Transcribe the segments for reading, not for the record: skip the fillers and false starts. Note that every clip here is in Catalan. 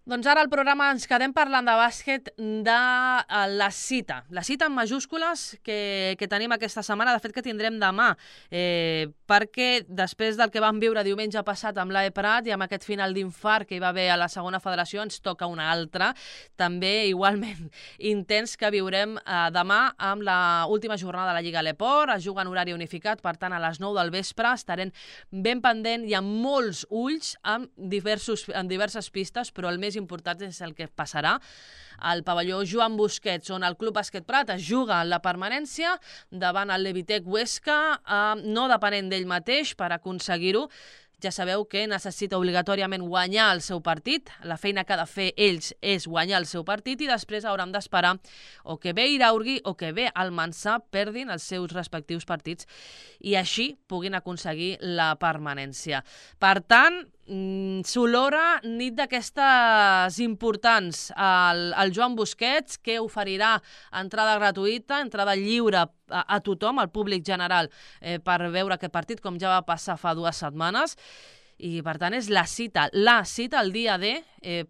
Doncs ara al programa ens quedem parlant de bàsquet de la cita en majúscules que tenim aquesta setmana, de fet que tindrem demà, perquè després del que vam viure diumenge passat amb l'AE Prat i amb aquest final d'infart que hi va haver a la segona federació, ens toca una altra, també igualment intens que viurem demà amb la última jornada de la Lliga Leport, es juga en horari unificat, per tant a les 9 del vespre estarem ben pendent i amb molts ulls en diverses pistes, però el més important és el que passarà al pavelló Joan Busquets, on el Club Bàsquet Prat es juga la permanència davant el Levitec Huesca, no depenent d'ell mateix per aconseguir-ho. Ja sabeu que necessita obligatòriament guanyar el seu partit. La feina que ha de fer ells és guanyar el seu partit i després hauran d'esperar o que bé Iraurgi o que bé Almansa perdin els seus respectius partits i així puguin aconseguir la permanència. Per tant, s'olora nit d'aquestes importants al Joan Busquets, que oferirà entrada gratuïta, entrada lliure a tothom, al públic general, per veure aquest partit, com ja va passar fa 2 setmanes. I, per tant, és la cita el dia D,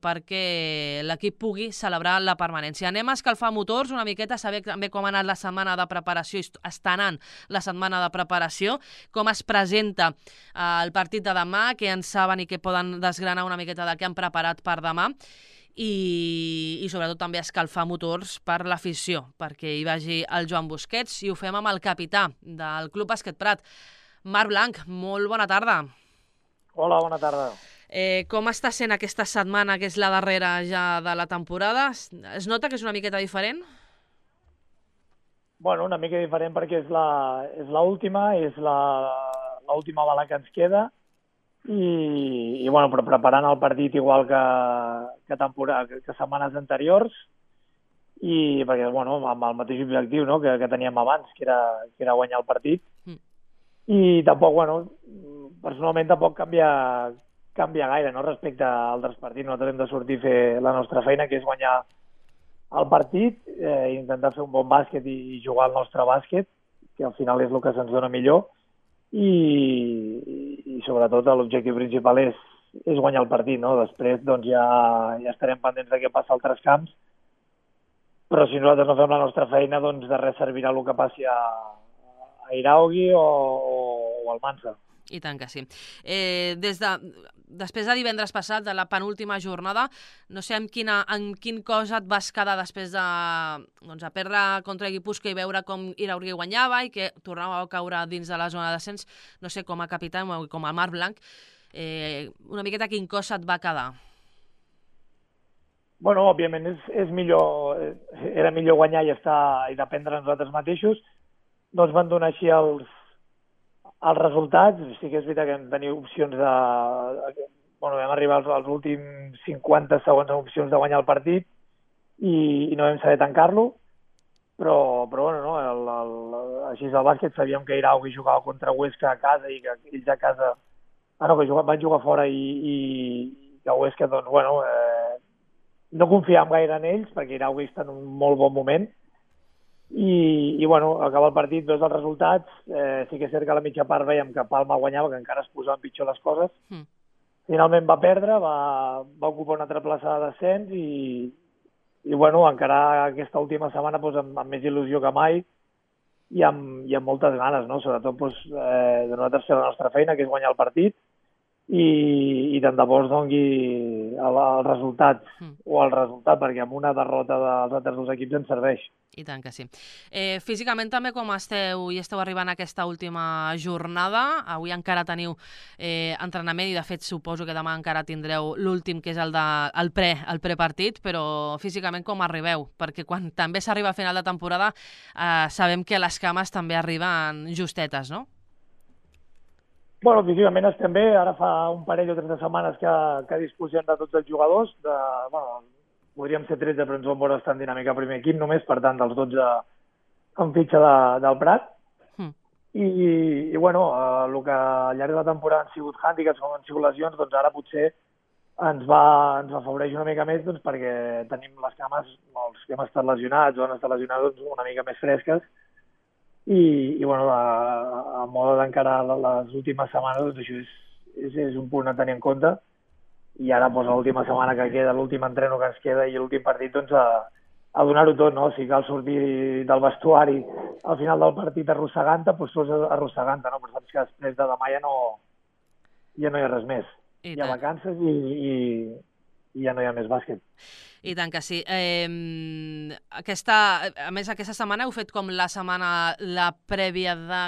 perquè l'equip pugui celebrar la permanència. Anem a escalfar motors una miqueta, saber també com ha anat la setmana de preparació, està anant la setmana de preparació, com es presenta el partit de demà, què en saben i què poden desgranar una miqueta del que han preparat per demà, i sobretot també escalfar motors per l'afició, perquè hi vagi el Joan Busquets, i ho fem amb el capità del Club Bàsquet Prat, Marc Blanc. Molt bona tarda. Hola, bona tarda. Com està sent aquesta setmana, que és la darrera ja de la temporada? Es nota que és una miqueta diferent? Bueno, una mica diferent perquè és l'última, és l'última bala que ens queda i bueno, però preparant el partit igual que setmanes anteriors i perquè, bueno, amb el mateix objectiu, no?, que teníem abans, que era guanyar el partit. I tampoc, bueno, personalment tampoc canvia gaire, no?, respecte a altres partits. Nosaltres hem de sortir a fer la nostra feina, que és guanyar el partit, intentar fer un bon bàsquet i jugar el nostre bàsquet, que al final és el que se'ns dona millor, i sobretot l'objectiu principal és guanyar el partit, no? Després doncs ja estarem pendents de què passa a altres camps, però si nosaltres no fem la nostra feina, doncs de res servirà el que passi a Iraogi o al Mansa. I tant que sí. Després de divendres passat, de la penúltima jornada, no sé en quin cos et vas quedar després de perdre contra Guipúscoa i veure com Iraogi guanyava i que tornava a caure dins de la zona de descens. No sé, com a capità i com a Marc Blanc, una miqueta quin cos et va quedar? Bueno, òbviament era millor guanyar i dependre de nosaltres mateixos. No ens van donar així els resultats. Sí que és veritat que vam tenir opcions vam arribar als últims 50 segons amb opcions de guanyar el partit i no vam saber tancar-lo, però bueno, no? Així és el bàsquet, sabíem que Iraogi jugava contra Huesca a casa i que ells a casa van jugar fora i que Huesca, doncs, bueno, no confiàvem gaire en ells perquè Iraogi està en un molt bon moment. I bueno, acaba el partit, veus els resultats, sí que és cert que a la mitja part veiem que Palma guanyava, que encara es posaven pitjor les coses. Finalment va perdre, va ocupar una altra plaça de descens i bueno, encara aquesta última setmana amb més il·lusió que mai i amb moltes ganes, no? Sobretot de nosaltres fer la nostra feina, que és guanyar el partit, i tant de bo es doni el resultat, perquè amb una derrota dels altres dos equips ens serveix. I tant que sí. Físicament també com esteu i esteu arribant a aquesta última jornada? Avui encara teniu entrenament i de fet suposo que demà encara tindreu l'últim, que és el prepartit, però físicament com arribeu? Perquè quan també s'arriba a final de temporada sabem que les cames també arriben justetes, no? Bueno, físicament estem bé. Ara fa un parell o 3 de setmanes que disposem de tots els jugadors. Podríem ser 13, però ens vam veure estar en dinàmica primer equip només, per tant, dels 12 en fitxa del Prat. I bueno, el que al llarg de la temporada han sigut hàndicaps, com han sigut lesions, doncs ara potser ens afavoreix una mica més, doncs, perquè tenim les cames, els que hem estat lesionats o han estat lesionats, doncs, una mica més fresques. I bueno, a moda d'encarar les últimes setmanes, doncs això és un punt a tenir en compte. i ara doncs, l'última setmana que queda, l'últim entreno que ens queda i l'últim partit, doncs a donar-ho tot, no? Si cal sortir del vestuari al final del partit arrossegant-te, doncs surts arrossegant-te, no? Però saps que després de demà ja no hi ha res més. Hi ha vacances i ja no hi ha més bàsquet. I tant que sí. A més, aquesta setmana heu fet com la prèvia de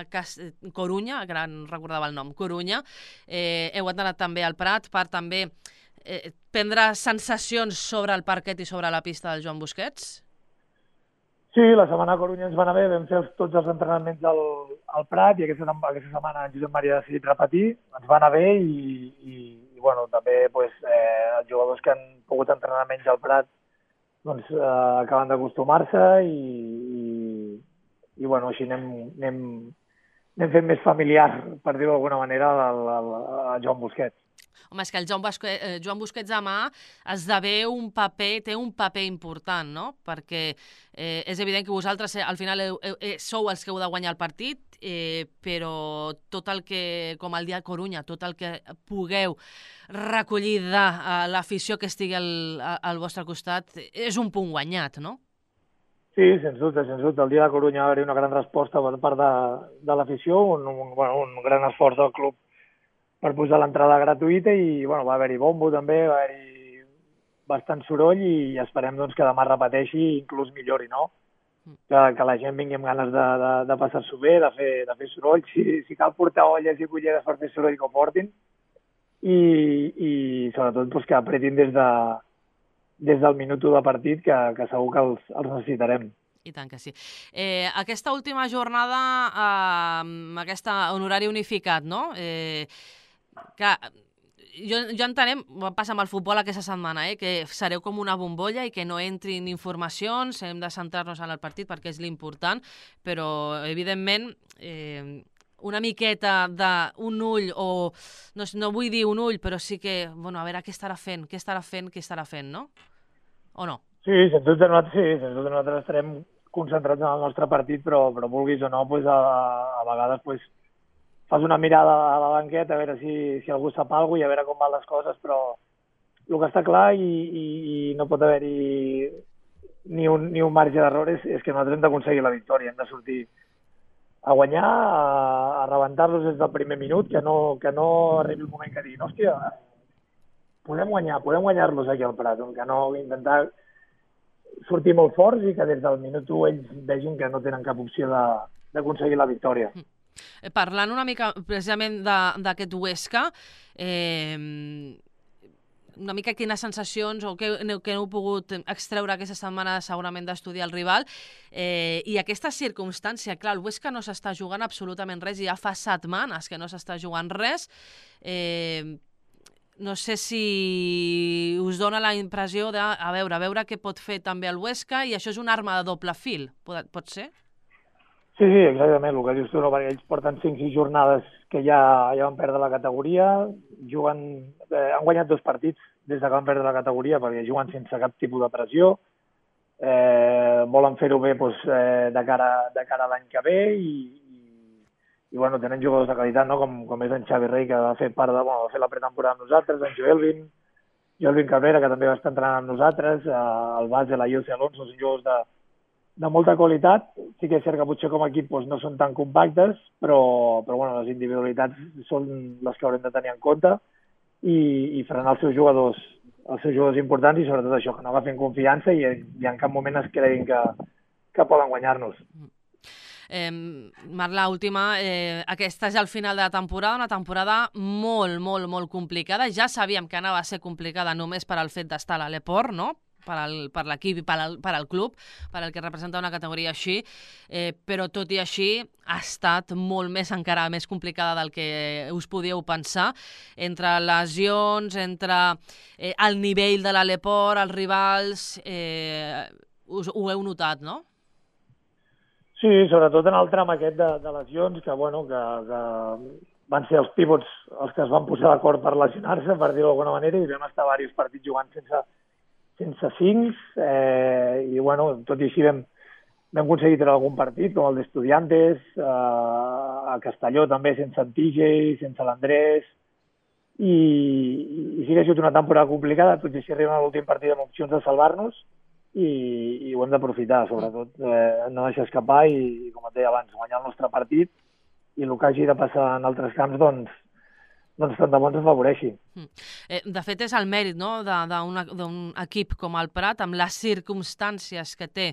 Corunya, que ara no recordava el nom, Corunya. Heu anat també al Prat per també prendre sensacions sobre el parquet i sobre la pista del Joan Busquets? Sí, la setmana a Corunya ens va anar bé, vam fer tots els entrenaments al Prat i aquesta setmana en Josep Maria ha decidit repetir, ens va anar bé i bueno, també pues, els jugadors que han pogut entrenar menys al Prat doncs, acaben d'acostumar-se i bueno, així anem fent més familiar, per dir-ho d'alguna manera, a Joan Busquets. Home, és que el Joan Busquets demà té un paper important, no? Perquè és evident que vosaltres al final sou els que heu de guanyar el partit, però tot el que, com el dia de Corunya, tot el que pugueu recollir de l'afició que estigui al vostre costat és un punt guanyat, no? Sí, sens dubte. El dia de Corunya va haver-hi una gran resposta per part de l'afició, un gran esforç del club per posar l'entrada gratuïta i bueno, va haver-hi bombo també, va haver-hi bastant soroll i esperem doncs, que demà repeteixi i inclús millori, no? Que la gent vingui amb ganes de passar-s'ho bé, de fer soroll, si cal portar olles i culleres per fer soroll que ho portin i sobretot doncs, que apretin des del minut 1 de partit que segur que els necessitarem. I tant que sí. Aquesta última jornada, en horari unificat, no? Que jo entenem, passa amb el futbol aquesta setmana, que sereu com una bombolla i que no entrin informacions, hem de centrar-nos en el partit perquè és l'important, però evidentment una miqueta d'un ull, o no vull dir un ull, però sí que, bueno, a veure què estarà fent, no? O no? Sí, sens dubte nosaltres estarem concentrats en el nostre partit, però vulguis o no, pues, a vegades pues, fas una mirada a la banqueta a veure si algú sap alguna cosa i a veure com van les coses, però el que està clar i no pot haver-hi ni un marge d'error és que nosaltres hem d'aconseguir la victòria, hem de sortir a guanyar, a rebentar-los des del primer minut, que no arribi el moment que diguin, hòstia, podem guanyar-los aquí al Prat, que no intentar sortir molt forts i que des del minut 1 ells vegin que no tenen cap opció d'aconseguir la victòria. Parlant una mica precisament d'aquest Huesca, una mica quines sensacions o què heu pogut extreure aquesta setmana segurament d'estudiar el rival i aquesta circumstància, clar, el Huesca no s'està jugant absolutament res i ja fa setmanes que no s'està jugant res. No sé si us dona la impressió de a veure què pot fer també el Huesca i això és una arma de doble fil, pot ser? Sí, exactament, el que dius tu, no? Perquè ells porten 5-6 jornades que ja van perdre la categoria, han guanyat 2 partits des que van perdre la categoria perquè juguen sense cap tipus de pressió, volen fer-ho bé doncs, de cara a l'any que ve i bueno, tenen jugadors de qualitat, no? com és en Xavi Rey, que va fer la pretemporada amb nosaltres, en Joelvin Cabrera, que també va estar entrenant amb nosaltres, el Base, la Jose Alonso, són jugadors de molta qualitat. Sí que és cert que potser com a equip doncs, no són tan compactes, però bueno, les individualitats són les que haurem de tenir en compte i frenar els seus jugadors importants i sobretot això, que no agafen confiança i en cap moment es creguin que poden guanyar-nos. Marc, l'última, aquesta és el final de la temporada, una temporada molt, molt, molt complicada. Ja sabíem que anava a ser complicada només per al fet d'estar a l'Eport, no? Per l'equip i per al club, per al que representa una categoria així, però tot i així ha estat encara més complicada del que us podíeu pensar, entre lesions, entre el nivell de l'Eport, els rivals, ho heu notat, no? Sí, sobretot en el tram aquest de lesions, que van ser els pivots els que es van posar d'acord per lesionar-se, per dir-ho d'alguna manera, i vam estar diversos partits jugant sense 5, i tot i així vam aconseguir treure algun partit, com el d'Estudiantes, a Castelló també sense en TJ, sense l'Andrés, i sí que ha sigut una temporada complicada, tot i així arribem a l'últim partit amb opcions de salvar-nos i ho hem d'aprofitar, sobretot no deixar escapar i, com et deia abans, guanyar el nostre partit i el que hagi de passar en altres camps, doncs tant de bo ens afavoreixi. De fet, és el mèrit, no?, d'un equip com el Prat, amb les circumstàncies que té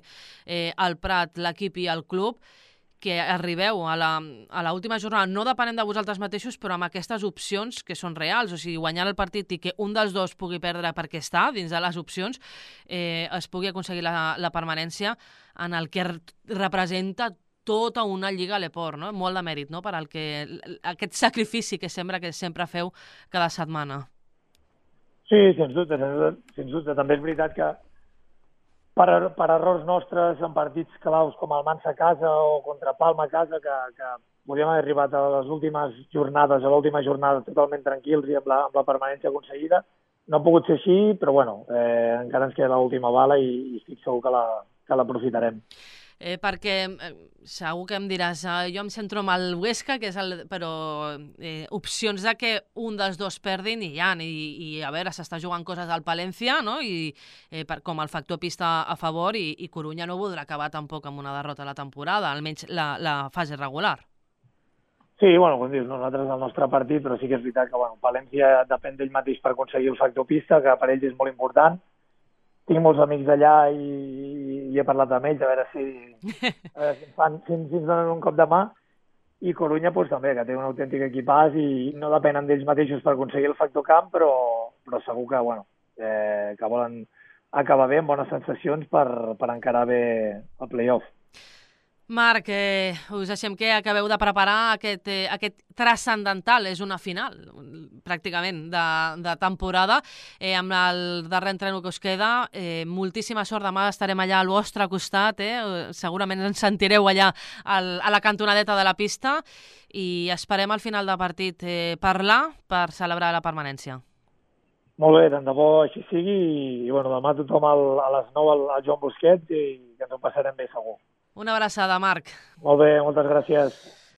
el Prat, l'equip i el club, que arribeu a l'última jornada, no depenent de vosaltres mateixos, però amb aquestes opcions que són reals, o sigui, guanyar el partit i que un dels dos pugui perdre perquè està dins de les opcions, es pugui aconseguir la permanència en el que representa tota una lliga a l'Eport, no? Molt de mèrit, no?, per aquest sacrifici que sempre feu cada setmana. Sí, sens dubte. També és veritat que per errors nostres en partits claus com el Mansa a casa o contra Palma a casa, que podíem haver arribat a les últimes jornades, a l'última jornada totalment tranquils i amb la permanència aconseguida. No ha pogut ser així, però bueno, encara ens queda l'última bala i estic segur que l'aprofitarem. Perquè segur que em diràs, jo em centro amb el Huesca, però opcions de que un dels dos perdin hi ha, i a veure, s'està jugant coses al Palència, no?, i com el factor pista a favor, i Corunya no voldrà acabar tampoc amb una derrota a la temporada, almenys la fase regular. Sí, bueno, com dius, nosaltres el nostre partit, però sí que és veritat que Palència depèn d'ell mateix per aconseguir el factor pista, que per ells és molt important. Tinc molts amics allà i he parlat amb ells, a veure si ens donen un cop de mà. I Corunya també, que té un autèntic equipàs i no depenen d'ells mateixos per aconseguir el factor camp, però segur que volen acabar bé, amb bones sensacions per encarar bé el play-off. Marc, us deixem que acabeu de preparar aquest transcendental, és una final, pràcticament, de temporada, amb el darrer entreno que us queda. Moltíssima sort, demà estarem allà al vostre costat, segurament ens sentireu allà a la cantonadeta de la pista i esperem al final del partit parlar per celebrar la permanència. Molt bé, tant de bo així sigui i demà tothom a les 9 al Joan Busquets i que ens ho passarem bé segur. Una abraçada, Marc. Molt bé, moltes gràcies.